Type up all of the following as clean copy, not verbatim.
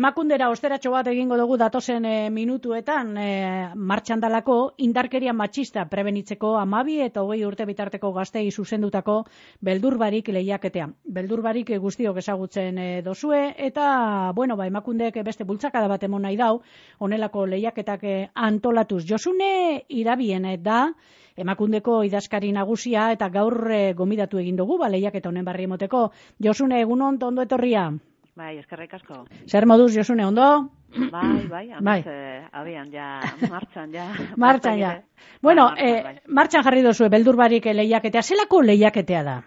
Emakundera osteratxo bat egingo dugu datozen minutuetan, martxan dalako indarkeria matxista prebenitzeko 12 eta 20 urte bitarteko gaztei zuzendutako beldurbarik lehiaketea. Beldurbarik guztiok ezagutzen dozue, eta, emakundek beste bultzakada bat emon nahi dau, honelako lehiaketak antolatuz. Josune Irabien da Emakundeko idazkari nagusia, eta gaur gomidatu egin dugu, lehiaketa honen barri emoteko. Josune, egunon, ondo etorria? Bai, eskerrik asko. Zer moduz, Josune, ondo? Bai, abian, ja, martxan, ja. Martxan, ja. Bueno, martxan jarri dozue, beldurbarik lehiaketea. Zelako lehiaketea da?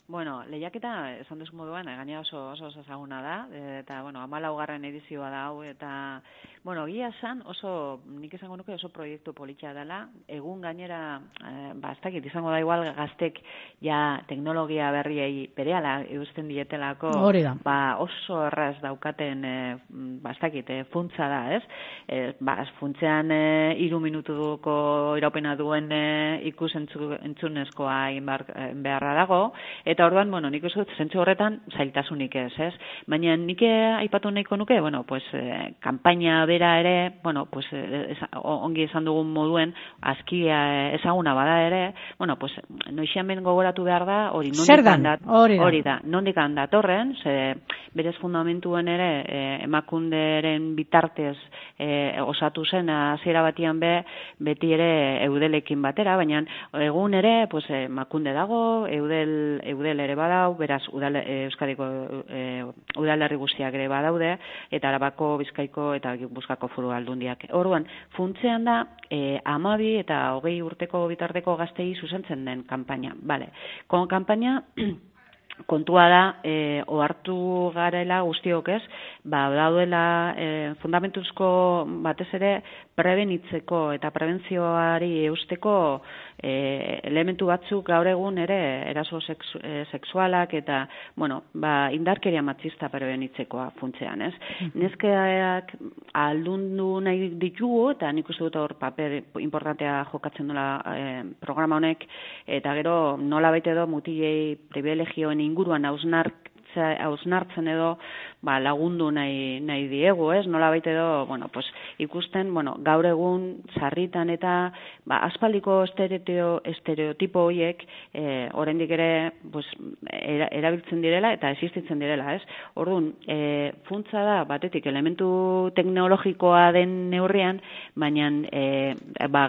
Bueno, lehiaketa, esan duz moduan, gaina oso ezaguna da, eta, 14. edizioa da hau, eta, egia esan, nik esango nuke oso proiektu politxea dela, egun gainera, ez dakit, izango da igual gaztek ja teknologia berriei berehala eusten dietelako, oso erraz daukaten, ez dakit, funtza da, ez? Funtzean 3 minutuko iraupena duen ikus-entzunezkoa beharra dago, eta orduan, nik uste dut, zentzu horretan, zailtasunik ez. Baina nik aipatu nahiko nuke, kanpaina bera ere, ongi esan dugun moduen, azkia ezaguna bada ere, noixian ben gogoratu behar da, hori da, nondik handatorren, berez fundamentuen ere, emakunderen bitartez osatu zen, hasiera batian beti ere eudelekin batera, baina egun ere, emakunde dago, eudel ere badau, beraz Euskadiko udalerri guztiak ere badaude, eta Arabako, Bizkaiko eta Gipuzkoako foru aldundiak. Orduan, funtzean da 12 eta 20 urteko bitarteko gaztei zuzentzen den kanpaina. Kanpaina kontua da, ohartu garela guztiok ez, dauela fundamentuzko batez ere prebenitzeko eta prebentzioari eusteko elementu batzuk gaur egun ere eraso sexualak eta, indarkeria matxista prebenitzekoa funtzean, ez? Neskeak aldundu nahi ditugu, eta nik uste dut hor paper importantea jokatzen dola programa honek, eta gero nola baita edo mutilei privilegioen inguruan hausnartzen edo lagundu nahi diegu, ez? Nola baita edo, ikusten, gaur egun sarritan eta aspaldiko estereotipo horiek oraindik ere erabiltzen direla eta existitzen direla, ez? Orduan, funtza da, batetik, elementu teknologikoa den neurrian, baina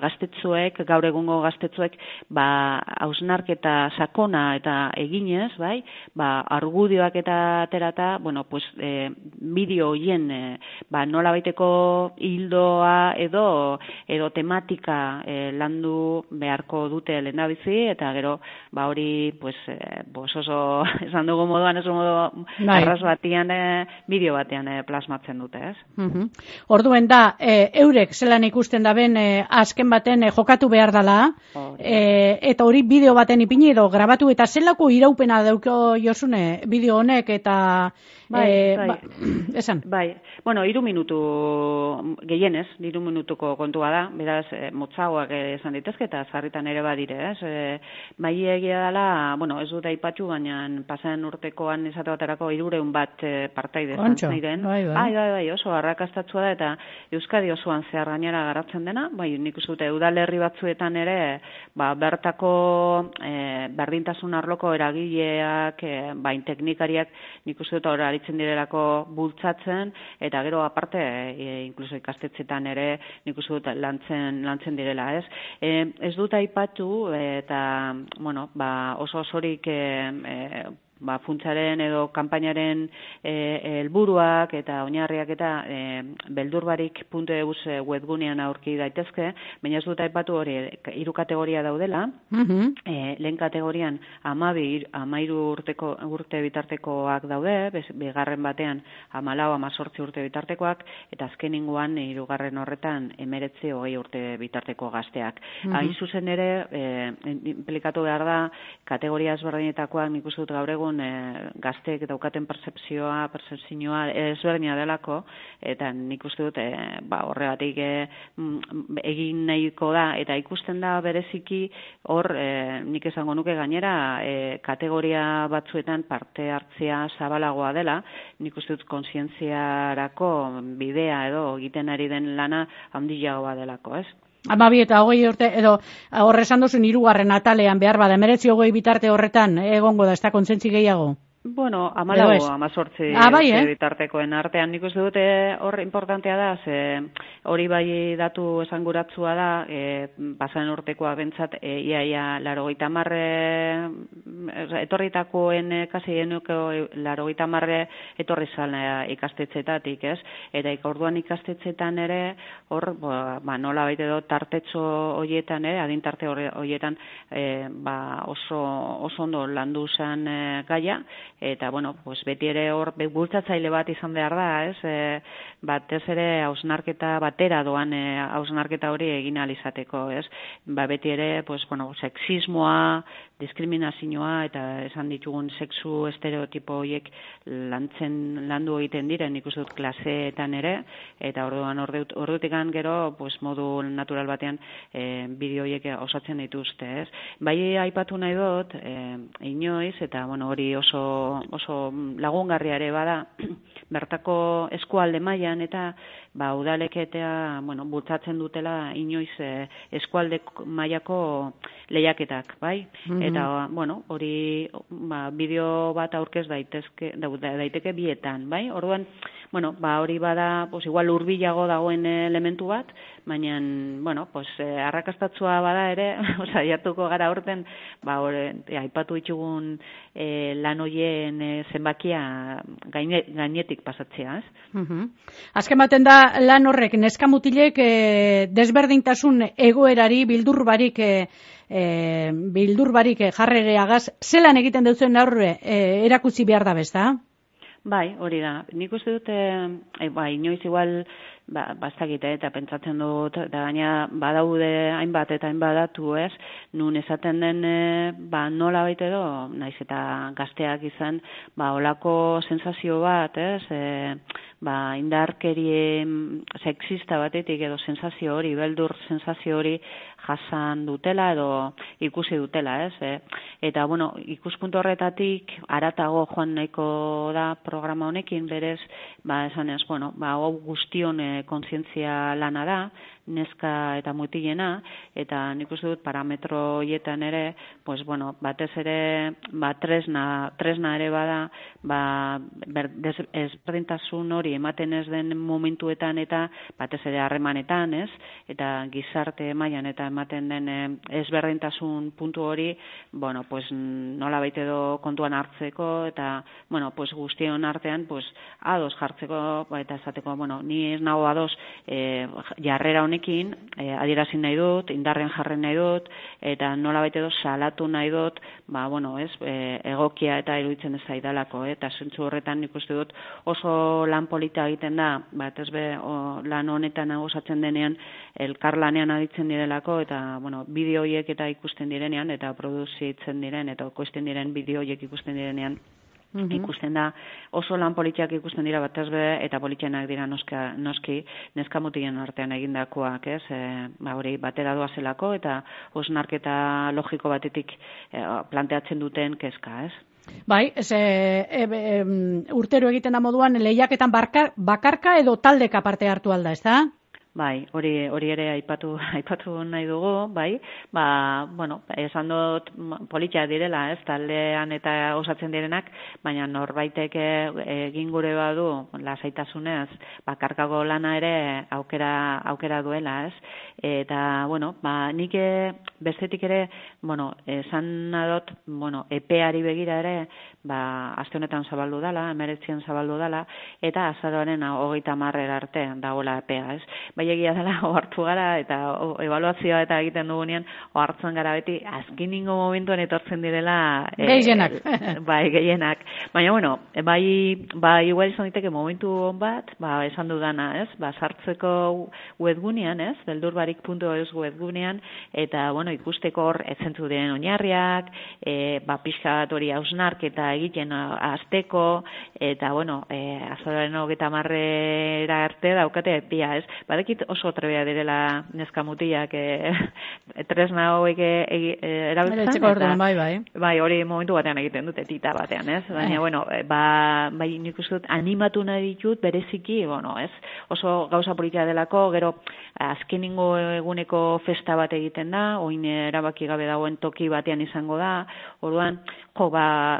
gaztetzuek, gaur egungo gaztetzuek, hausnarketa sakona eta eginez, argudioak eta aterata, bideo horien nola baiteko hildoa edo tematika landu beharko dute lehendabizi, eta gero hori oso esan dugu moduan, oso modu erraz batian, bideo batean plasmatzen dute, ez? Orduen da, eurek zelan ikusten da ben azken baten jokatu behar dela, eta hori bideo baten ipini edo grabatu, eta zelako iraupena dauko Josune bideo honek, eta esan? 3 minutu gehienez, 3 minutuko kontua da, beraz, motzagoak esan ditezke, eta zarritan ere badire, ez? Egia dela, ez dut aipatxu, baina pasan urtekoan esate baterako 300 bat partaide ziren. Bai, oso arrakastatsua da, eta Euskadi osoan zehar gainera garatzen dena, nik uste dute udalerri batzuetan ere, bertako berdintasun arloko eragileak, teknikariak, nik uste dut hor aritzen direlako bultzatzen, eta gero aparte, inkluso ikastetxetan ere, nik uste dut lantzen direla, ez? Ez dut aipatu, eta, oso osorik funtsaren edo kanpainaren helburuak eta oinarriak eta beldurbarik.eus webgunean aurki daitezke, baina ez dut aipatu hori 3 kategoria daudela, lehen kategorian 12-13 urte bitartekoak daude, bigarren batean 14-18 urte bitartekoak, eta azkeningoan 3. horretan 19-20 urte bitarteko gazteak. Hain zuzen ere, implikatu behar da, kategoria ezberdinetakoak nik uste dut gaur egun dugun gazteek daukaten pertzepzioa ezberdina delako, eta nik uste dut horregatik egin nahiko da, eta ikusten da bereziki hor nik esango nuke gainera kategoria batzuetan parte hartzea zabalagoa dela, nik uste dut kontzientziarako bidea edo egiten ari den lana handiagoa delako, ez? 12 eta 20 urte, edo horre esan duzun 3. atalean behar bada, 19-20 bitarte horretan egongo da, ez da kontzentzi gehiago? Bueno, 14 bitartekoen artean nik uste dute hor importantea da, ze hori bai datu esanguratsua da, pasan urtekoa bentsat, iaia 80 etorritakoen kasi genuko 80 etorri zala ikastetxetatik, ez? Eta orduan ikastetxetan ere, hor, nola baita edo tartetxo horietan ere, adintarte horietan oso ondo landu zen gaia, eta, bueno, pues beti ere hor bultzatzaile bat izan behar da, ez? Batez ere hausnarketa batera doan hausnarketa hori egin ahal izateko, ez? Beti ere, pues, bueno, sexismoa, diskriminazioa eta esan ditugun sexu estereotipo horiek landu egiten diren, ikusten dut klaseetan ere, eta orduan ordutikan gero, pues, modu natural batean bideo horiek osatzen dituzte, ez? Bai aipatu nahi dut, inoiz, eta, bueno, hori oso lagungarria ere bada, bertako eskualde mailan eta udalek eta bultzatzen dutela inoiz eskualde mailako lehiaketak, bai? Eta, bueno, hori bideo bat aurkez daiteke bietan, bai? Orduan, bueno, hori bada, pues igual hurbilago dagoen elementu bat, baina, bueno, pues arrakastatsua bada ere, saiatuko gara horten, aipatu ditugun lan hoien zenbakia gainetik pasatzea, ez? Azken baten da lan horrek neskamutilek desberdintasun egoerari bildurbarik jarrereagaz, zelan egiten dutzen aurre erakutsi behar da bezta? Bai, hori da. Nik uste dut, inoiz igual, bastakite eta pentsatzen dut, eta gaina badaude hainbat eta hainbat datu, ez? Nun esaten den, nola baita edo, naiz eta gazteak izan, olako sensazio bat, ez? Indarkerie sexista batetik edo sensazio hori, beldur sensazio hori jasan dutela edo ikusi dutela, ez? Eta, bueno, ikuspuntu horretatik aratago joan nahiko da programa honekin, berez, esan ez, bueno, hau guztion kontzientzia lana da, neska eta mutilena, eta nik uste dut parametro horietan ere, pues, bueno, batez ere, tresna ere bada, ezberdintasun hori ematen ez den momentuetan eta batez ere harremanetan, ez? Eta gizarte mailan eta ematen den ezberdintasun puntu hori, bueno, pues nola baita edo kontuan hartzeko eta, bueno, pues guztion artean, pues ados jartzeko eta esateko, bueno, ni ez nago ados jarrera honekin, adierazi nahi dut, indarren jarren nahi dut, eta nola baita edo salatu nahi dut, bueno, ez, egokia eta iruditzen ez zaidalako, eta zentzu horretan nik uste dut oso lan polita egiten da, ez lan honetan osatzen denean elkarlanean aditzen direlako, eta, bueno, bideo horiek eta ikusten direnean, eta produzitzen diren, eta koizten diren bideo horiek ikusten direnean, ikusten da, oso lan politiak ikusten dira batez be, eta politianak dira noski neskamutilen artean egindakoak, ez? Hori batera doazelako, eta osnarketa logiko batetik planteatzen duten kezka, ez? Bai, urtero egiten da moduan, lehiaketan bakarka edo taldeka parte hartu alda, ez da? Bai, hori ere aipatu nahi dugu, bai, bueno, esan dut politia direla, ez, taldean eta osatzen direnak, baina norbaitek egin gure badu, lasaitasunez, bakarkako lana ere aukera duela, ez, eta, bueno, nik bestetik ere, bueno, esan dut, bueno, epeari begira ere, aste honetan zabaldu dala, 19 zabaldu dala, eta azaroaren 30 arte dagoela epea, ez. egia dela ohartu gara eta ebaluazioa eta egiten dugunean ohartzen gara beti azkeningo momentuan etortzen direla gehienak. Bai, gehienak. Baina bueno, bai igual izan daiteke momentu on bat, esan dudana, ez? Sartzeko webgunean, ez? beldurbarik.eus webgunean eta bueno, ikusteko hor zentzu diren oinarriak, pixka bat hori hausnarketa egiten hasteko eta bueno, azaroaren 30 arte daukate epia, ez? Badakit oso trebea direla neska mutilak tresna hauek erabiltzen eta bai, hori momentu batean egiten dute tita batean, ez? Baina bueno, bai nik uste dut animatu nahi ditut bereziki, bueno, ez? Oso gauza polita delako, gero azkeningo eguneko festa bat egiten da, oin erabaki gabe dagoen toki batean izango da. Orduan,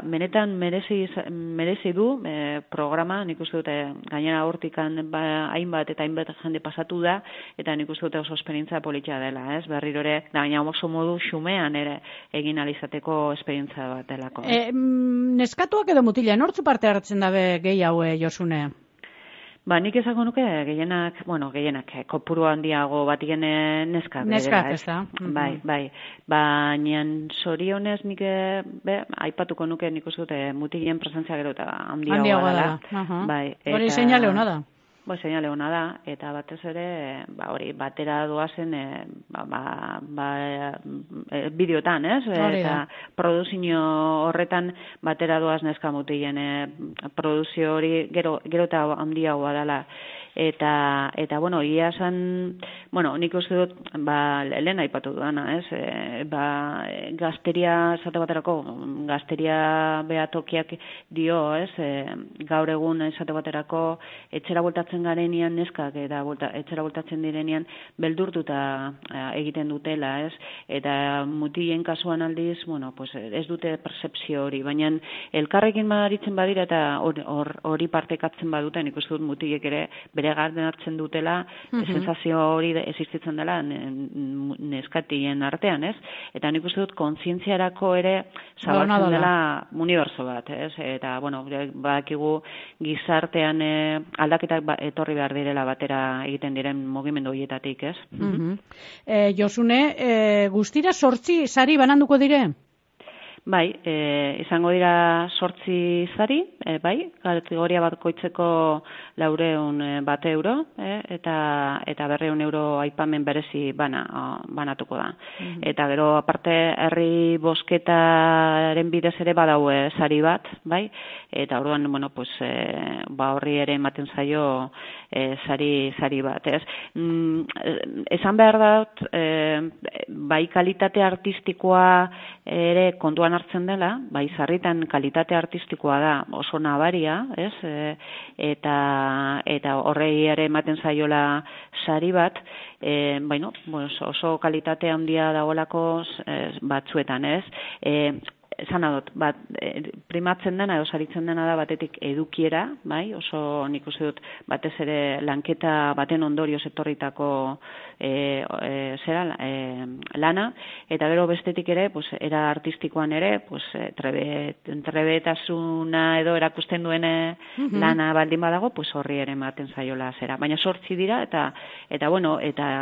benetan merezi du programa, nik uste dute gainera hortikan hainbat eta hainbat jende pasatu da, eta nik uste dute oso esperientzia politxa dela, ez? Berriro ere, baina oso modu xumean ere egin alizateko esperientzia bat delako. Neskatuak edo mutila, nortzu parte hartzen dabe gehi haue, Josune? Nik esango nuke gehienak, kopuru handiago bat neskak. Neskak, ez da. Bai. Baina zorionez nik aipatuko nuke nik uste dute mutilen presentzia gero eta handiago dela. Hori seinale hona da. Seinale hona da, eta batez ere, hori, batera doazen bideotan, ez? Eta produzio horretan batera doaz neska mutilen produzio hori gero eta handiagoa dela. Eta bueno, ia esan, nik uste dut, lehen aipatu duana, ez? Gazteria, esate baterako, gazteria behatokiak dio, ez? Gaur egun, esate baterako, etxera voltatzen garenean neskak, eta etxera voltatzen direnean beldurtuta egiten dutela, ez? Eta mutilen kasuan aldiz, ez dute percepzio hori, baina elkarrekin baditzen badira eta hori partekatzen baduten, ikusten dut mutilek ere bere garden hartzen dutela, sensazio hori existitzen dela neskatien artean, ez? Eta nik uste dut kontzientziarako ere zabaltzen dela unibertso bat, ez? Eta, badakigu gizartean aldaketak etorri behar direla batera egiten diren mugimendu horietatik, ez? Josune, guztira 8 sari bananduko dire? Bai, izango dira 8 sari, bai, kategoria bakoitzeko 400 euro, eta 200 euro aipamen berezi banatuko da. Eta gero, aparte, herri bosketaren bidez ere badaue sari bat, bai, eta orduan, horri ere ematen zaio sari bat, ez? Esan behar dut, bai kalitate artistikoa ere kontuan hartzen dela, bai sarritan kalitate artistikoa da oso nabaria, ez? Eta horrei ere ematen zaiola sari bat, oso kalitate handia dagoelako batzuetan, ez? Esan adot, primatzen dena edo saritzen dena da batetik edukiera, bai, oso nik uste dut batez ere lanketa baten ondorioz etorritako lana, eta gero bestetik ere, era artistikoan ere, trebetasuna edo erakusten duen lana baldin badago, horri ere ematen zaiola zera. Baina 8 dira, eta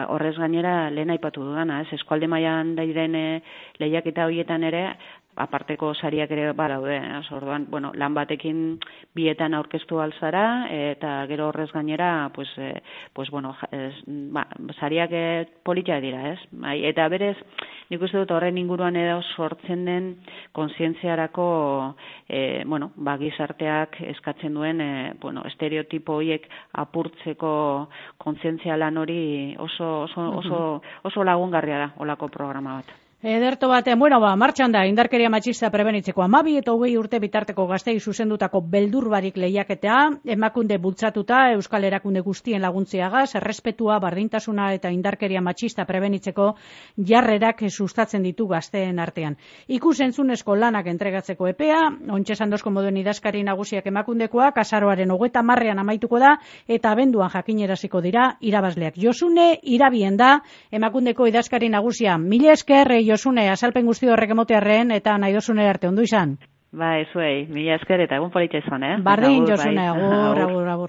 horrez gainera lehen aipatu dudana, ez, eskualde mailan diren lehiaketa horietan ere, aparteko sariak ere badaude, orduan, lan batekin bietan aurkeztu alzara, eta gero horrez gainera, sariak politia dira, ez? Eta berez, nik uste dut horren inguruan edo sortzen den kontzientziarako, gizarteak eskatzen duen, estereotipo horiek apurtzeko kontzientzia lan hori oso lagungarria da, olako programa bat. Ederto batean, martxan da, indarkeria matxista prebenitzeko 12 eta 20 urte bitarteko gaztei zuzendutako beldurbarik lehiaketea, emakunde bultzatuta Euskal Erakunde guztien laguntziagaz, errespetua, bardintasuna eta indarkeria matxista prebenitzeko jarrerak sustatzen ditu gazteen artean. Ikusentzunezko lanak entregatzeko epea, ontxe sandozko moduen idazkari nagusiak emakundekoak, azaroaren 30 amaituko da, eta abenduan jakineraziko dira irabazleak. Josune irabien da, emakundeko idazkari nagusia. Mila esker, Josune, azalpen guzti horrek emotearren, eta nahi dozune arte ondo izan. Zuei, mila esker eta egun politxa izan, Bardin, Josune, agur.